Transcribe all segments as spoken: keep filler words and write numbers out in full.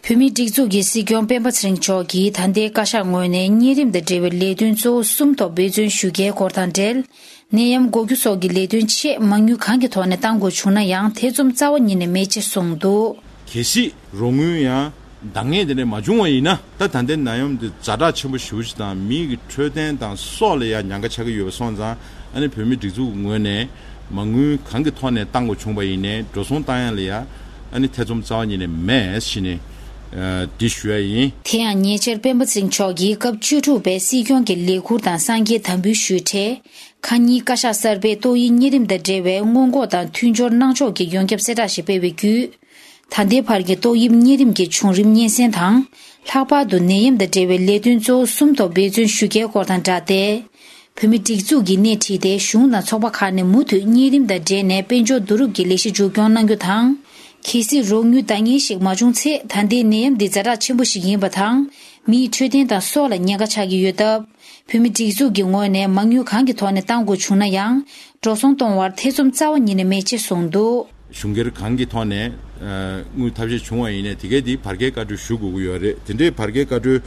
བོད་མིའི་སྒྲིག་འཛུགས་ཀྱི་སྲིད་སྐྱོང་སྤེན་པ་ཚེ་རིང་མཆོག་གིས་ད་ལྟའི་བཀའ་ཤག་ངོས་ནས་གཉན་རིམས་དང་འབྲེལ་བའི་ལས་དོན་གཙོ་བོ་གསུམ་ཐོག་འབད་བརྩོན་ཞུ་གལ་སྐོར་དང་འབྲེལ། ནད་ཡམས་འགོག་རྒྱུ་སོགས་ཀྱི་ལས་དོན་ཆེད་མ་དངུལ་གང་གི་ཐོག་ནས་གཏང་དགོས་བྱུང་ན་ཡང་ཐེ་ཚོམ་རྩ་བ་ཉིད་ནས་མེད་ཅེས་གསུངས་འདུག། གལ་སྲིད་རོགས་དངུལ་ཡང་འདང་ངེས་དེ་འདྲ་མ་བྱུང་བ་ཡིན་ན། ད་ད་ལྟའི་ནད་ཡམས་འདི་ཛ་དྲག་ཆེན་པོ་ཞེ་པོ་ཅིག་དང་མི་གི་འཕྲོད་བསྟེན་དང་སྲོག་ལ་ཡང་ཉེན་ཁ་ཆགས་ཀྱི་ཡོད་པ་སོང་ཙང་། ཨ་ནི་བོད་མིའི་སྒྲིག་འཛུགས་ངོས་ནས་མ་དངུལ་གང་གི་ཐོག་ནས་གཏང་དགོས་བྱུང་བ་ཡིན་ནའི་འགྲོ་སོང་གཏང་ཡ་ལ་ཡང་ཨ་ནི་ཐེ་ཚོམ་རྩ་བ་ཉིད་ནས་མེད་ཞེས་ནས་འདི་ཞུ་ཡ་ཡིན། དེ་ཡང་ཉེ་ཆར་སྤེན་པ་ཚེ་རིང་མཆོག་གིས་སྐབས་བཅུ་དྲུག་པའི་སྲིད་སྐྱོང་གི་ལས་འཁུར་དང་གསར་འགྱུར་དམ་འབུལ་ཞུས་འཕྲལ། ཁ་ཉིན་བཀའ་ཤག་གསར་པས་ཏོག་དབྱིབས་གཉན་རིམས་དང་འབྲེལ་བའི་སྔོན་འགོག་དང་མཐུན་སྦྱོར་གནང་ཕྱོགས་ཀྱི་ཡོངས་ཁྱབ་གསལ་བསྒྲགས་ཤིག་སྤེལ་བའི་བརྒྱུད། ད་ལྟའི་བར་གྱི་ཏོག་དབྱིབས་གཉན་རིམས་ཀྱི་བྱུང་རིམ་སྙན་སེང་དང་། ལྷག་པར་དུ་ནད་ཡམས་དང་འབྲེལ་བའི་ལས་དོན་གཙོ་བོ་གསུམ་ཐོག་འབད་བརྩོན་ཞུ་གལ་སྐོར་དང་སྦྲགས་ཏེ། བོད་མིའི་སྒྲིག་འཛུགས་ཀྱིས་སྣེ་ཁྲིད་དེ་གཞུང་དང་ཚོགས་པ་ཁག་ནས་མུ་མཐུད་གཉན་རིམས་དང་འབྲེལ་ནས་དཔལ་འབྱོར་བསྡུ་རུབ་ཀྱི་ལས་གཞི་མཇུག་སྐྱོང་གནང་རྒྱུ་དང་། གལ་སྲིད་རོགས་དངུལ་འདང་ངེས་ཤིག་མ་བྱུང་ཚེ་ད་ལྟའི་ནད་ཡམས་འདི་ཛ་དྲག་ཆེན་པོ་ཞིག་ཡིན་པ་དང་། མིའི་འཕྲོད་བསྟེན་དང་སྲོག་ལ་ཉེན་ཁ་ཆགས་ཀྱི་ཡོད་སྟབས། བོད་མི་སྒྲིག་འཛུགས་ཀྱི་ངོས་ནས་མ་དངུལ་གང་གི་ཐོག་ནས་གཏང་དགོས་བྱུང་ན་ཡང་། འགྲོ་སོང་གཏོང་བར་ཐེ་ཚོམ་རྩ་བ་ཉིད་ནས་མེད་ཅེས་གསུངས་འདུག། གཞུང་སྒེར་གང་གི་ཐོག་ནས་ཨ་དངུལ་ཐབས་ཤེས་བྱུང་བ་ཡིན་ནའི་དེ་གའི་དེ་བར་བརྒལ་བཀའ་འཁྲོལ་ཞུ་དགོས་ཀྱི་ཡོད་རེད། དེ་འདྲའི་བར་བརྒལ་བཀའ་འཁྲོལ་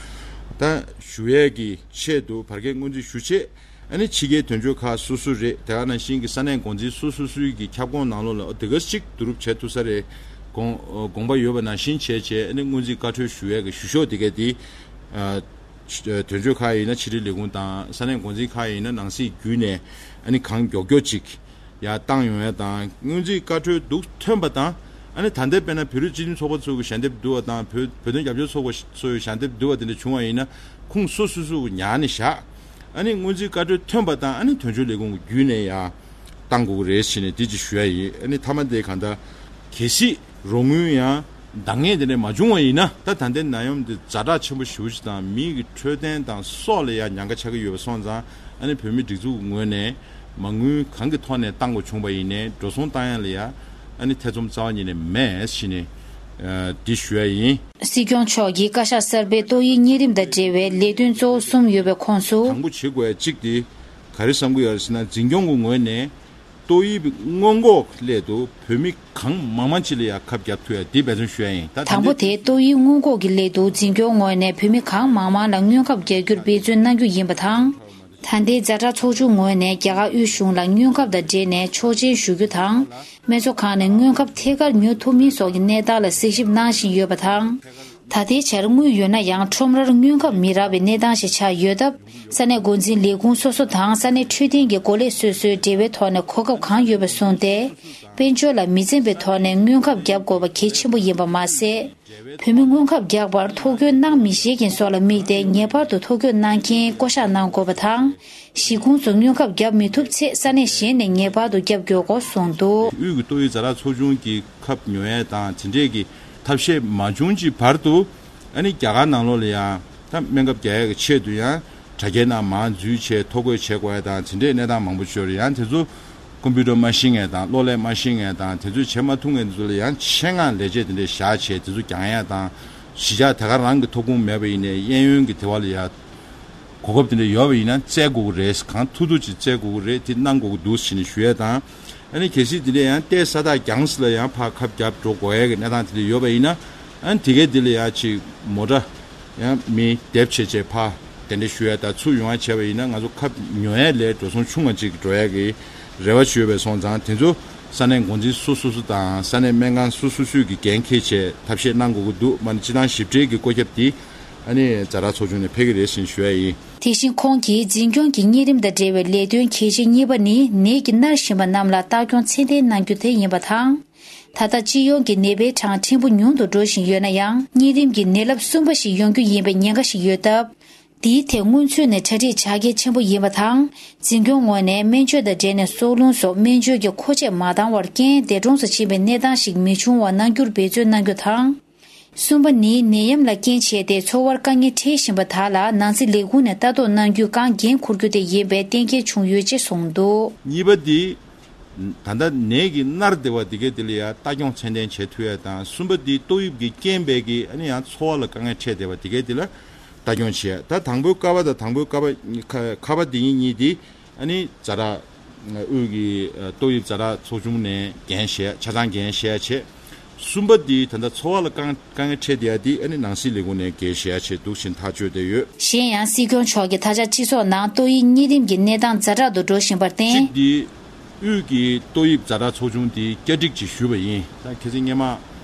ད་ཞུ་ཡས་ཀྱི་ཆེད་དུ་བར་བརྒལ་སྔོན་རྩིས་ཞུ་ཆེད། ཨ་ནི་ཕྱི་རྒྱལ་དོན་གཅོད་ཁག་སོ་སོ་རེད། དེ་ག་ནང་བཞིན་གྱི་ས་གནས་འགོ་འཛིན་སོ་སོ་སོའི་གི་ཁྱབ་ཁོངས་ནང་ལོགས་ལ་དེ་ག་ཅིག་བསྡུ་རུབ་བྱེད་ཐུབ་ས་རེད། དགོངས་དགོངས་པ་ཡོད་པ་ནང་བཞིན་བྱས་བྱས། ཨ་ནི་སྔོན་རྩིས་བཀའ་འཁྲོལ་ཞུ་ཡས་ཀྱི་ཞུ་ཕྱོགས་དེ་ག་དེ། ཨ་དོན་གཅོད་ཁག་ཡིན་ན་ཕྱི་དྲིལ་ལས་ཁུངས་དང་། ས་གནས་འགོ་འཛིན་ཁག་ཡིན་ན་ནང་སྲིད་བརྒྱུད་ནས་ཨ་ནི་གང་མགྱོགས་མགྱོགས་ཅིག་ཡར་བཏང་ཡོང་ཡས་དང་། སྔོན་རྩིས་བཀའ་འཁྲོལ་འདུག་ཐོན་པ་དང་། ཨ་ནི་ད་ལྟའི་དཔེར་ན་བོད་རིགས་སྤྱི་མཐུན་ཚོགས་པ་ཚོ་གི་ཞལ་འདེབས་བསྡུ་བ་དང་། བོད་བོད་དོན་རྒྱབ་སྐྱོར་ཚོགས་པ་ཚོ་གི་ཞལ་འདེབས་བསྡུ་བ་དེ་འདྲ་བྱུང་བ་ཡིན་ན། ཁུངས་སོ་སོ་སོ་གི་ཉར་ནས་བཞག། ཨ་ནི་སྔོན་རྩིས་བཀའ་འཁྲོལ་ཐོན་པ་དང་། ཨ་ནི་དོན་གཅོད་ལས་ཁུངས་བརྒྱུད་ནས་ཡར་བཏང་དགོས་ཀྱི་རེད་ཟེར་ནས་དེ་ཅིག་ཞུ་ཡ་ཡིན། ཨ་ནི་མཐའ་མ་དེ་གང་ལྟར་གལ་སྲིད་རོགས་དངུལ་ཡང་འདང་ངེས་དེ་འདྲ་མ་བྱུང་བ་ཡིན་ན། ད་ད་ལྟའི་ནད་ཡམས་འདི་ཛ་དྲག་ཆེན་པོ་ཞེ་པོ་ཅིག་དང་མི་གི་འཕྲོད་བསྟེན་དང་སྲོག་ལ་ཡང་ཉེན་ཁ་ཆགས་ཀྱི་ཡོད་པ་སོང་ཙང་། ཨ་ནི་བོད་མི་སྒྲིག་འཛུགས་ངོས་ནས་མ་དངུལ་གང་གི་ཐོག་ནས་གཏང་དགོས་བྱུང་བ་ཡིན་ནའི་འགྲོ་སོང་གཏང་ཡ་ལ་ཡང་ཨ་ནི་ཐེ་ཚོམ་རྩ་བ་ཉིད་ནས་མེད་ཟེར་ནས་ཨ་འདི་ཞུ་ཡ་ཡིན། སྲིད་སྐྱོང་མཆོག་གིས་བཀའ་ཤག་གསར་པའི་ཏོག་དབྱིབས་གཉན་རིམས་དང་འབྲེལ་བའི་ལས་དོན་གཙོ་བོ་གསུམ་ཡོད་པའི་ཁོངས་སུ། དང་པོ་བྱེད་དགོས་ཡ་གཅིག་དེ་ག་རེ་བསམ་གྱི་ཡོད་རེད་ཟེར་ན། འཛིན་སྐྱོང་གི་ངོས་ནས་ཏོག་དབྱིབས་སྔོན་འགོག་སླད་དུ་བོད་མི་གང་མང་མང་ཅིག་ལ་ཡང་ཁབ་བརྒྱབ་ཐུབ་ཡ་དེ་འབད་བརྩོན་ཞུ་ཡ་ཡིན། ད་དང་པོ་དེ་ཏོག་དབྱིབས་སྔོན་འགོག་གི་སླད་དུ་འཛིན་སྐྱོང་ངོས་ནས་བོད་མི་གང་མང་མང་ལ་སྔོན་ཁབ་རྒྱག་རྒྱུར་འབད་བརྩོན་གནང་རྒྱུ་ཡིན་པ་དང་། ད་ལྟའི་ཛ་དྲག་ཚོགས་ཆུང་ངོས་ནས་རྒྱ་གར་དབུས་གཞུང་ལ་སྔོན་ཁབ་དང་འབྲེལ་ནས་ཆོག་མཆན་ཞུ་རྒྱུ་དང་། སྨན་གཙོ་ཁང་ནས་སྔོན་ཁབ་ཐད་ཀར་ཉོ་ཐུབ་མིན་སོགས་ཀྱི་གནས་སྟངས་ལ་གཟིགས་ཞིབ་གནང་བཞིན་ཡོད་པ་དང་། ད་ལྟའི་ཆར་དངུལ་ཡོད་ན་ཡང་ཁྲོམ་རར་སྔོན་ཁབ་མི་རག་པའི་གནས་སྟངས་ཤིག་ཆགས་ཡོད་སྟབས། ས་གནས་འགོ་འཛིན་ལས་ཁུངས་སོ་སོ་དང་ས་གནས་འཕྲོད་བསྟེན་གྱི་འགོ་ལས་སོ་སོའི་འབྲེལ་བའི་ཐོག་ནས་གོ་སྐབས་གང་ཡོད་པ་བཟུང་སྟེ། དཔལ་འབྱོར་ལ་མི་འཛེམ་པའི་ཐོག་ནས་སྔོན་ཁབ་བརྒྱབ་དགོས་པ་གལ་ཆེན་པོ་ཡིན་པ་མ་ཟད། བོད་མི་སྔོན་ཁབ་རྒྱག་པར་ཐོ་འགོད་གནང་མི་ཤེས་མཁན་སོགས་ལ་དམིགས་ཏེ། ངེས་པར་དུ་ཐོ་འགོད་གནང་མཁན་བསྐོ་གཞག་གནང་དགོས་པ་དང་། གཞིས་ཁོངས་སུ་སྔོན་ཁབ་བརྒྱབ་མི་ཐུབ་ཚེ། ས་གནས་གཞན་ནས་ངེས་པར་དུ་བརྒྱབ་དགོས་སྐོར་གསུངས་འདུག། དབུས་ཀྱི་ཏོག་དབྱིབས་ཛ་དྲག་ཚོགས་ཆུང་གི་ཁབ་ཉོ་ཡས་དང་དེ་འདྲས་ཀྱི་ཐབས་ཤེས་མ་བྱུང་གི་བར་དུ། ཨ་ནི་རྒྱ་གར་ནང་ལོགས་ལ་ཡང་ད་སྨན་ཁབ་རྒྱག་ཡས་ཀྱི་ཆེད་དུ་ཡང་དྲ་རྒྱའི་ནང་མར་འཛུལ་བྱས་ཐོ་འགོད་བྱེད་དགོས་ཡས་དང་དེ་འདྲས་གནས་སྟངས་མང་པོ་ཅིག་ཡོད་རེད། ཡང་དེ་ཚོ་ཀོམ་པུ་ཊར་མ་ཤེས་མཁན་དང་གློག་ཀླད་མ་ཤེས་མཁན་དང་དེ་ཚོས་བྱེད་མ་ཐུབ་མཁན་དེ་ཚོ་ལ་ཡང་ཆེད་མངགས་ལས་བྱེད་དེ་འདྲས་བཞག་བྱས་དེ་ཚོ་རྒྱག་ཡས་དང་། གཞིས་ཆགས་དེ་ག་རང་གི་ཐོབ་ཁུངས་མེད་པ་ཡིན་ནའི་གཡས་གཡོན་གྱི་དེ་བ་ལ་ཡང་གོ་སྐབས་དེ་འདྲ་ཡོད་པ་ཡིན་ན་བཙལ་དགོས་ཀྱི་རེད། གང་ཐུབ་ཐུབ་ཅིག་བཙལ་དགོས་ཀྱི་རེད། དེ་གནང་དགོས་ཀྱི་འདུག་ཟེར་ནས་ཞུ་ཡས་དང་། ཨ་ནི་གལ་སྲིད་དེ་ལས་ཡང་ལྟའི་ས་ཐག་རྒྱང་སོ་ལ་ཡང་ཕར་ཁབ་བརྒྱབ་འགྲོ་དགོས་ཡས་ཀྱི་གནས་སྟངས་དེ་འདྲ་ཡོད་པ་ཡིན་ན། ཨ་ནི་དེ་གའི་དེ་ལ་ཡང་ཅིག་མོ་ཊ་ཡང་མི་སྡེབ་བྱས་བྱས་ཕར་དེ་འདྲ་ཞུ་ཡས་དང་ཚུར་ཡོང་ཡས་བྱས་པ་ཡིན་ན་ང་ཚོ་ཁབ་ཉོ་ཡས་ལས་འགྲོ་སོང་ཆུང་བ་ཅིག་འགྲོ་ཡས་ཀྱི་རེ་བ་ཅིག་ཡོད་པ་སོང་ཙང་། དེ་ཚོ་ས་གནས་འགོ་འཛིན་སོ་སོ་སོ་དང་ས་གནས་སྨན་ཁང་སོ་སོ་སོས་ཀྱི་འགན་འཁྱེར་བྱས་ཐབས་ཤེས་གནང་དགོས་ཀྱི་འདུག། མ་ནི་སྤྱི་བཏང་ཞིབ་ཕྲའི་གི་བཀོད་ཁྱབ་དེ་ཨ་ནི་ཛ་དྲག་ཚོགས་ཆུང་ནས་ཕེབས་ཀྱི་རེད་ཟེར་ཞུ་ཡ་ཡིན། དེ་བཞིན་ཁོང་གིས་འཛིན་སྐྱོང་གི་གཉན་རིམས་དང་འབྲེལ་བའི་ལས་དོན་གལ་ཆེ་གཉིས་པ་ནི་ནད་ཀྱིས་མནར་བཞིན་པ་རྣམས་ལ་ལྟ་སྐྱོང་ཚད་ལྡན་གནང་རྒྱུ་དེ་ཡིན་པ་དང་། ད་ལྟ་སྤྱི་ཡོངས་ཀྱི་ནད་པའི་གྲངས་ཕྲན་བུ་ཉུང་དུ་འགྲོ་བཞིན་ཡོད་ན་ཡང་། གཉན་རིམས་ཀྱི་ནད་རླབས་གསུམ་པ་ཞིག་ཡོང་རྒྱུ་ཡིན་པའི་ཉེན་ཁ་ཞིག་ཡོད་སྟབས། དེའི་ཐད་སྔོན་ཚུད་ནས་གྲ་སྒྲིག་བྱ་གལ་ཆེན་པོ་ཡིན་པ་དང་། འཛིན་སྐྱོང་ངོས་ནས་སྨན་བཅོས་དང་འབྲེལ་ནས་སྲོག་རླུང་སོགས་སྨན་བཅོས་ཀྱི་མཁོ་ཆས་མ་འདང་བར་རྐྱེན་འདས་གྲོངས་སུ་ཕྱིན་པའི་གནས་སྟངས་ཤིག་མི་འབྱུང་བ་གནང་རྒྱུར་འབད་བརྩོན་གནང་རྒྱུ་དང་། གསུམ་པ་ནི་ནད་ཡམས་ལ་རྐྱེན་བྱས་ཏེ་འཚོ་བར་དཀའ་ངལ་འཕྲད་བཞིན་པ་དག་ལ་ནང་སྲིད་ལས་ཁུངས་ནས་ལྟ་རྟོག་གནང་རྒྱུའི་སྒང་འགན་འཁུར་རྒྱུ་དེ་ཡིན་པའི་གཏན་འཁེལ་བྱུང་ཡོད་ཅེས་གསུངས་འདུག། གཉིས་པ་འདི། ད་ལྟ་ནད་ཀྱིས་མནར་བསྡད་པ་དེ་གའི་དེ་ལ་ཡང་ལྟ་སྐྱོང་ཚད་ལྡན་བྱེད་ཐུབ་ཡ་དང་། གསུམ་པ་འདི་ཏོག་དབྱིབས་ཀྱི་རྐྱེན་པས་ཀྱི་ཨ་ནི་ཡང་འཚོ་བ་ལ་དཀའ་ངལ་འཕྲད་བསྡད་པ་དེ་གའི་དེ་ལ་ལྟ་སྐྱོང་བྱེད་ཡ། ད་དང་པོའི་ཀ་བ་དང་དང་པོའི་ཀ་བ་ཁ་ཁ་བ་འདི་གཉིས་གཉིས་འདི། ཨ་ནི་ཛ་དྲག་དབུས་ཀྱི་ཏོག་དབྱིབས་ཛ་དྲག་ཚོགས་ཆུང་ནས་འགན་བཞེས། ཆ་ཚང་འགན་བཞེས་བྱས། གསུམ་པ་འདི་ད་ལྟ་འཚོ་བ་ལ་དཀའ་དཀའ་ངལ་འཕྲད་བསྡད་ཡ་འདི་ཨ་ནི་ནང་སྲིད་ལས་ཁུངས་ནས་འགན་བཞེས་ཡ་ཆེད་འདུག་ཅེས་ཐག་གཅོད་བསྡད་ཡོད། གཞན་ཡང་སྲིད་སྐྱོང་མཆོག་གིས་ད་ཆ་སྤྱི་ཚོགས་ནང་ཏོག་དབྱིབས་གཉན་རིམས་ཀྱི་གནས་སྟངས་ཛ་དྲག་ཏུ་འགྲོ་བཞིན་པར་བརྟེན། གཅིག་འདི་དབུས་ཀྱི་ཏོག་དབྱིབས་ཛ་དྲག་ཚོགས་ཆུང་འདི་བསྐྱར་སྒྲིག་ཅིག་ཞུས་པ་ཡིན། ད་ཁ་སང་སྔོན་མ།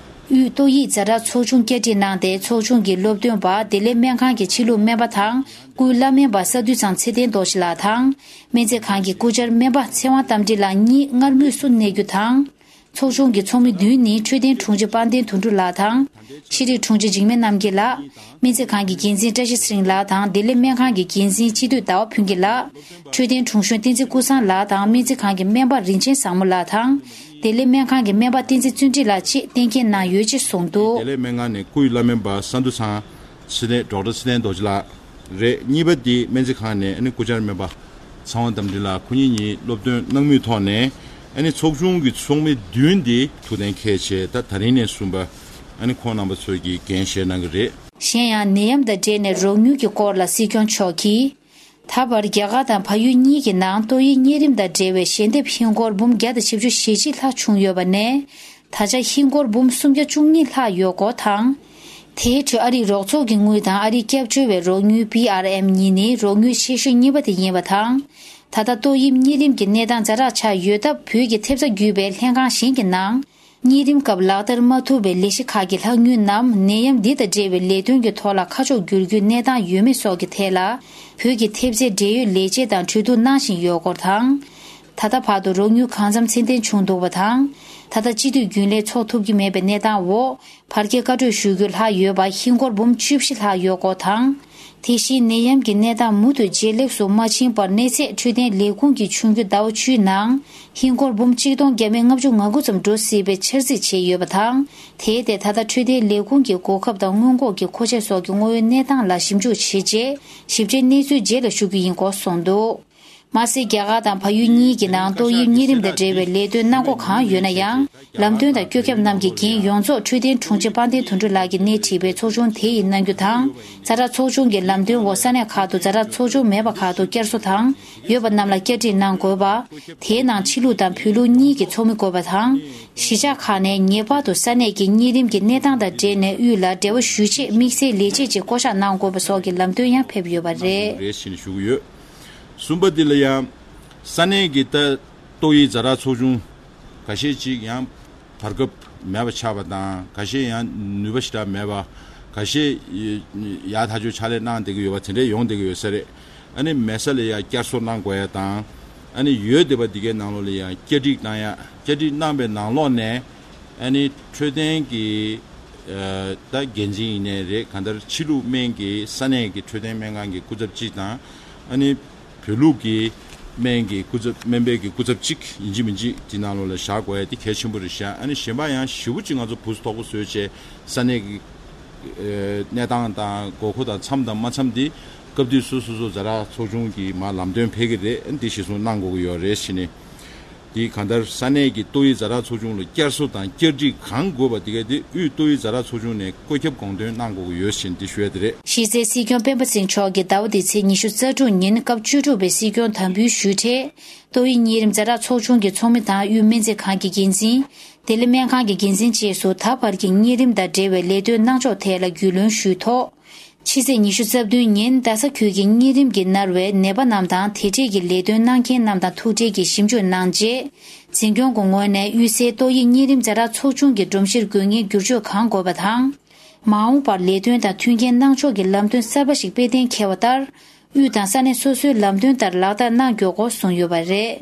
དབུས་ཏོག་དབྱིབས་ཛ་དྲག་ཚོགས་ཆུང་བསྐྱར་སྒྲིག་གནང་སྟེ། ཚོགས་ཆུང་གི་སློབ་སྟོན་པ་བདེ་ལེགས་སྨན་ཁང་གི་ཕྱི་ལུགས་སྨན་པ་དང་། སྐུའི་བླ་སྨན་པ་ས་འདུས་ཚང་ཚེ་བརྟན་རྡོ་རྗེ་ལགས་དང་། སྨན་རྩིས་ཁང་གི་སྐུ་བཅར་སྨན་པ་ཚེ་དབང་རྟ་མགྲིན་ལགས་གཉིས་སྔར་མུས་སུ་གནས་རྒྱུ་དང་། ཚོགས་ཆུང་གི་ཚོགས་མི་བདུན་ནི་འཕྲོད་བསྟེན་དྲུང་ཆེ་དཔལ་ལྡན་དོན་གྲུབ་ལགས་དང་། ཤེས་རིག་དྲུང་ཆེ་འཇིགས་མེད་རྣམ་རྒྱལ་ལགས། སྨན་རྩིས་ཁང་གི་འགན་འཛིན་བཀྲ་ཤིས་ཚེ་རིང་ལགས་དང་། བདེ་ལེགས་སྨན་ཁང་གི་འགན་འཛིན་སྤྱི་འཐུས་ཟླ་བ་ཕུན་སྐྱིད་ལགས། འཕྲོད་བསྟེན་དྲུང་གཞོན་བསྟན་འཛིན་ཀུན་བཟང་ལགས་དང་། སྨན་རྩིས་ཁང་གི་སྨན་པ་རིན་ཆེན་བཟང་མོ་ལགས་དང་། བདེ་ལེགས་སྨན་ཁང་གི་སྨན་པ་བསྟན་འཛིན་བརྩོན་འགྲུས་ལགས་བཅས་གཏན་འཁེལ་གནང་ཡོད་ཅེས་གསུངས་འདུག། བདེ་ལེགས་སྨན་ཁང་ནས་སྐུའི་བླ་སྨན་པ་ས་འདུ་ཚང་ཚེ་བརྟན། ཌོག་ཊར་ཚེ་བརྟན་རྡོ་རྗེ་ལགས་རེད། གཉིས་པ་འདི་སྨན་རྩིས་ཁང་ནས་ཨ་ནི་སྐུ་བཅར་སྨན་པ་ཚེ་དབང་རྟ་མགྲིན་ལགས། ཁོ་གཉིས་གཉིས་སློབ་སྟོན་གནང་མུས་ཐོག་ནས་ཨ་ནི་ཚོགས་ཆུང་གི་ཚོགས་མི་བདུན་འདི་ཐུགས་གཏན་འཁེལ་བྱས། ད་ད་རིང་ནས་བཟུང་པ་ཨ་ནི་ཁོང་རྣམ་པ་ཚོས་ཀྱི་འགན་བཞེས་གནང་གི་རེད། གཞན་ཡང་ནད་ཡམས་དང་འབྲེལ་ནས་རོགས་དངུལ་གྱི་སྐོར་ལ་སྲིད་སྐྱོང་མཆོག་གིས། ད་བར་རྒྱ་གར་དང་བལ་ཡུལ་གཉིས་ཀྱི་ནང་ཏོག་དབྱིབས་གཉན་རིམས་དང་འབྲེལ་བའི་ཞལ་འདེབས་ཧིན་སྒོར་འབུམ་བརྒྱ་དང་བཞི་བཅུ་ཞེ་གཅིག་ལྷག་བྱུང་ཡོད་པ་ནས། ད་ཆ་ཧིན་སྒོར་འབུམ་སུམ་བརྒྱ་བཅུ་གཉིས་ལྷག་ཡོད་སྐོར་དང་། དེའི་ཁྲོད་ཨ་རིའི་རོགས་ཚོགས་ཀྱི་དངུལ་དང་ཨ་རིའི་སྐྱབས་བཅོལ་བའི་རོགས་དངུལ་བྷི་ཨར་ཨེམ་གཉིས་ནི་རོགས་དངུལ་ཆེ་ཤོས་གཉིས་པ་དེ་ཡིན་པ་དང་། ད་ལྟ་ཏོག་དབྱིབས་གཉན་རིམས་ཀྱི་གནས་སྟངས་ཛ་དྲག་ཆགས་ཡོད་སྟབས། བོད་ཀྱི་ཐེབས་རྩ་བརྒྱུད་པའི་ལྷན་ཁང་གཞན་གྱི་ནང་། གཉན་རིམས་སྐབས་ལག་བསྟར་མ་ཐུབ་པའི་ལས་གཞི་ཁག་གི་ལྷག་དངུལ་རྣམས་ནད་ཡམས་འདི་དང་འབྲེལ་བའི་ལས་དོན་གྱི་ཐོག་ལ་ཁ་ཕྱོགས་བསྒྱུར་རྒྱུའི་གནས་སྟངས་ཡོད་མེད་སོགས་ཀྱི་ཐད་ལ། བོད་ཀྱི་ཐེབས་རྩའི་འབྲེལ་ཡོད་ལས་བྱེད་དང་གྲོས་བསྡུར་གནང་བཞིན་ཡོད་སྐོར་དང་། ད་ལྟ་བར་དུ་རོགས་དངུལ་གང་འཚམ་ཚད་ལྡན་བྱུང་འདུག་པ་དང་། ད་ལྟ་སྤྱི་འཐུས་རྒྱུན་ལས་འཚོགས་ཐུབ་ཀྱི་མེད་པའི་གནས་སྟངས་འོག། བར་བརྒལ་བཀའ་གྲོས་ཞུ་རྒྱུ་ལྷག་ཡོད་པ་ཧིན་སྒོར་འབུམ་བཅུ་བཞི་ལྷག་ཡོད་སྐོར་དང་། དེ་བཞིན་ནད་ཡམས་ཀྱི་གནས་སྟངས་མུ་མཐུད་ཇེ་ལེགས་སུ་མ་ཕྱིན་བར། གནས་ཚད་འཕྲོད་བསྟེན་ལས་ཁུངས་ཀྱིས་ཆུང་རྒྱུན་ཟླ་བ་བཅུའི་ནང་ཧིན་སྒོར་འབུམ་གཅིག་སྟོང་བརྒྱ་མེད་ལྔ་བཅུ་ང་དགུ་ཙམ་འགྲོ་སྲིད་པའི་འཆར་རྩིས་བྱས་ཡོད་པ་དང་། དེའི་ཐད་ད་ལྟ་འཕྲོད་བསྟེན་ལས་ཁུངས་ཀྱི་གོ་སྐབས་དང་སྔོན་འགོག་གི་མཁོ་ཆས་སོགས་ཀྱི་དངོས་ཡོད་གནས་སྟངས་ལ་ཞིབ་འཇུག་བྱས་རྗེས། ཞིབ་ཕྲའི་གནས་ཚུལ་རྗེས་ལ་ཞུ་རྒྱུ་ཡིན་སྐོར་གསུངས་འདུག། མ་ཟད། རྒྱ་གར་དང་བལ་ཡུལ་གཉིས་ཀྱི་ནང་ཏོག་དབྱིབས་གཉན་རིམས་དང་འབྲེལ་བའི་ལས་དོན་གནང་སྒོ་གང་ཡོད་ན་ཡང་། ལམ་སྟོན་དང་བཀོད་ཁྱབ་རྣམས་ཀྱི་འགན་ཡོངས་རྫོགས་འཕྲོད་བསྟེན་དྲུང་ཆེ་དཔལ་ལྡན་དོན་གྲུབ་ལགས་ཀྱིས་སྣེ་ཁྲིད་པའི་ཚོགས་ཆུང་དེ་ཡིས་གནང་རྒྱུ་དང་། ཛ་དྲག་ཚོགས་ཆུང་གི་ལམ་སྟོན་འོག་ས་གནས་ཁག་ཏུ་ཛ་དྲག་ཚོགས་ཆུང་མེད་པ་ཁག་ཏུ་བསྐྱར་གསོ་དང་ཡོད་པ་རྣམས་ལ་བསྐྱར་སྒྲིག་གནང་དགོས་པ། དེའི་ནང་ཕྱི་ལུགས་དང་བོད་ལུགས་གཉིས་ཀྱི་ཚོགས་མི་དགོས་པ་དང་། གཞིས་ཆགས་ཁག་ནས་ངེས་པར་དུ་ས་གནས་ཀྱི་གཉན་རིམས་ཀྱི་གནས་སྟངས་དང་འབྲེལ་ནས་དབུས་ལ་འབྲེལ་བ་ཞུ་ཆེད་དམིགས་བསལ་ལས་བྱེད་ཅིག་བསྐོ་གཞག་གནང་དགོས་པ་སོགས་ཀྱི་ལམ་སྟོན་ཡང་ཕེབས་ཡོད་པ་རེད། རེད་ཟེར་ནས་ཞུ་གི་ཡོད། གསུམ་པ་འདི་ལ་ཡང་ས་གནས་ཀྱི་ད་ཏོག་དབྱིབས་ཛ་དྲག་ཚོགས་ཆུང་འགའ་ཤས་ཅིག་ཡང་བར་སྐབས་མེད་པ་ཆགས་པ་དང་། འགའ་ཤས་ཡང་ནུས་པ་ཞེ་དྲག་མེད་པ། འགའ་ཤས་ཡར་ཐག་གཅོད་ཕྱག་ལས་གནང་བསྡད་ཀྱི་ཡོད་པ་དེ་འདྲས་ཡོང་བསྡད་ཀྱི་ཡོད་ས་རེད། ཨ་ནི་མེད་ས་ལ་ཡང་བསྐྱར་གསོ་གནང་དགོས་ཡ་དང་། ཨ་ནི་ཡོད་བསྡད་པ་འདི་གའི་ནང་ལོགས་ལ་ཡང་བསྐྱར་སྒྲིག་གནང་ཡ། བསྐྱར་སྒྲིག་གནང་པའི་ནང་ལོགས་ནས་ཨ་ནི་འཕྲོད་བསྟེན་གྱི་ཨ་ད་འགན་འཛིན་ཡིན་ནའི་རེད། གང་ལྟར་ཕྱི་ལུགས་སྨན་གྱི་ས་གནས་ཀྱི་འཕྲོད་བསྟེན་སྨན་ཁང་གི་སྐུ་ཚབ་གཅིག་དང་། ཨ་ནི་བོད་ལུགས་ཀྱི་སྨན་གྱི་སྐུ་ཚབ། སྨན་པའི་གི་སྐུ་ཚབ་གཅིག་ཡིན་གཅིག་མིན་གཅིག་དེ་ནང་ལོགས་ལ་བཞག་དགོས་ཡ་དེ་གལ་ཆེན་པོ་རེད་ཤག། ཨ་ནི་གཞན་པ་ཡང་ཞེ་པོ་ཅིག་ང་ཚོ་བུ་སུ་དོག་པོ་བཟོས་བྱས་ས་གནས་ཀྱི་ཨ་གནས་སྟངས་དང་དགོས་མཁོ་དང་འཚམས་དང་མ་འཚམས་དེ་སྐབས་དུས་སུ་སོ་སོ་ཛ་དྲག་ཚོགས་ཆུང་གིས་མར་ལམ་སྟོན་ཕེབས་ཀྱི་རེད། ཨ་ནི་དེ་གཞིར་བཟུང་གནང་དགོས་ཀྱི་ཡོད་རེད་ཟེར་ནས། དེ་གང་ལྟར་ས་གནས་ཀྱི་ཏོག་དབྱིབས་ཛ་དྲག་ཚོགས་ཆུང་ལ་བསྐྱར་གསོ་དང་བསྐྱར་སྒྲིག་གང་དགོས་པ་དེ་ག་དེ་དབུས་ཏོག་དབྱིབས་ཛ་དྲག་ཚོགས་ཆུང་ནས་བཀོད་ཁྱབ་དགོངས་དོན་གནང་དགོས་ཀྱི་ཡོད་ཟེར་ནས་དེ་ཞུ་ཡ་དེ་རེད། གཞི་རྩའི་སྲིད་སྐྱོང་སྤེན་པ་ཚེ་རིང་མཆོག་གིས་ཟླ་བ་འདིའི་ཚེས་ཉི་ཤུ་རྩ་དྲུག་ཉིན་སྐབས་བཅུ་དྲུག་པའི་སྲིད་སྐྱོང་དམ་འབུལ་ཞུས་འཕྲལ། ཏོག་དབྱིབས་གཉན་རིམས་ཛ་དྲག་ཚོགས་ཆུང་གི་ཚོགས་མི་དང་དབུས་སྨན་རྩིས་ཁང་གི་འགན་འཛིན། བདེ་ལེགས་སྨན་ཁང་གི་འགན་འཛིན་བཅས་སུ་ད་བར་གྱི་གཉན་རིམས་དང་འབྲེལ་བའི་ལས་དོན་གནང་ཕྱོགས་ཐད་ལ་རྒྱུས་ལོན་ཞུས་ཐོག། ཕྱི་ཚེས་ཉི་ཤུ་རྩ་བདུན་ཉིན་རྡ་ས་ཁུལ་གྱི་གཉན་རིམས་ཀྱིས་མནར་བའི་ནད་པ་རྣམས་དང་དེ་འབྲེལ་གྱི་ལས་དོན་གནང་མཁན་རྣམས་དང་ཐུག་འཕྲད་ཀྱིས་ཞིབ་འཇུག་གནང་རྗེས། འཛིན་སྐྱོང་གི་ངོས་ནས་དབུས་སའི་ཏོག་དབྱིབས་གཉན་རིམས་ཛ་དྲག་ཚོགས་ཆུང་གི་སྒྲོམ་གཞིར་དགོས་ངེས་བསྒྱུར་བཅོས་གང་དགོས་པ་དང་། མ་འོངས་པར་ལས་དོན་དང་མཐུན་རྐྱེན་གནང་ཕྱོགས་ཀྱི་ལམ་སྟོན་གསར་པ་ཞིག་དཔེ་གཏན་འཁེལ་བ་ལྟར། དབུས་དང་ས་གནས་སོ་སོའི་ལམ་སྟོན་ལྟར་ལག་བསྟར་གནང་དགོས་སྐོར་གསུངས་ཡོད་པ་རེད།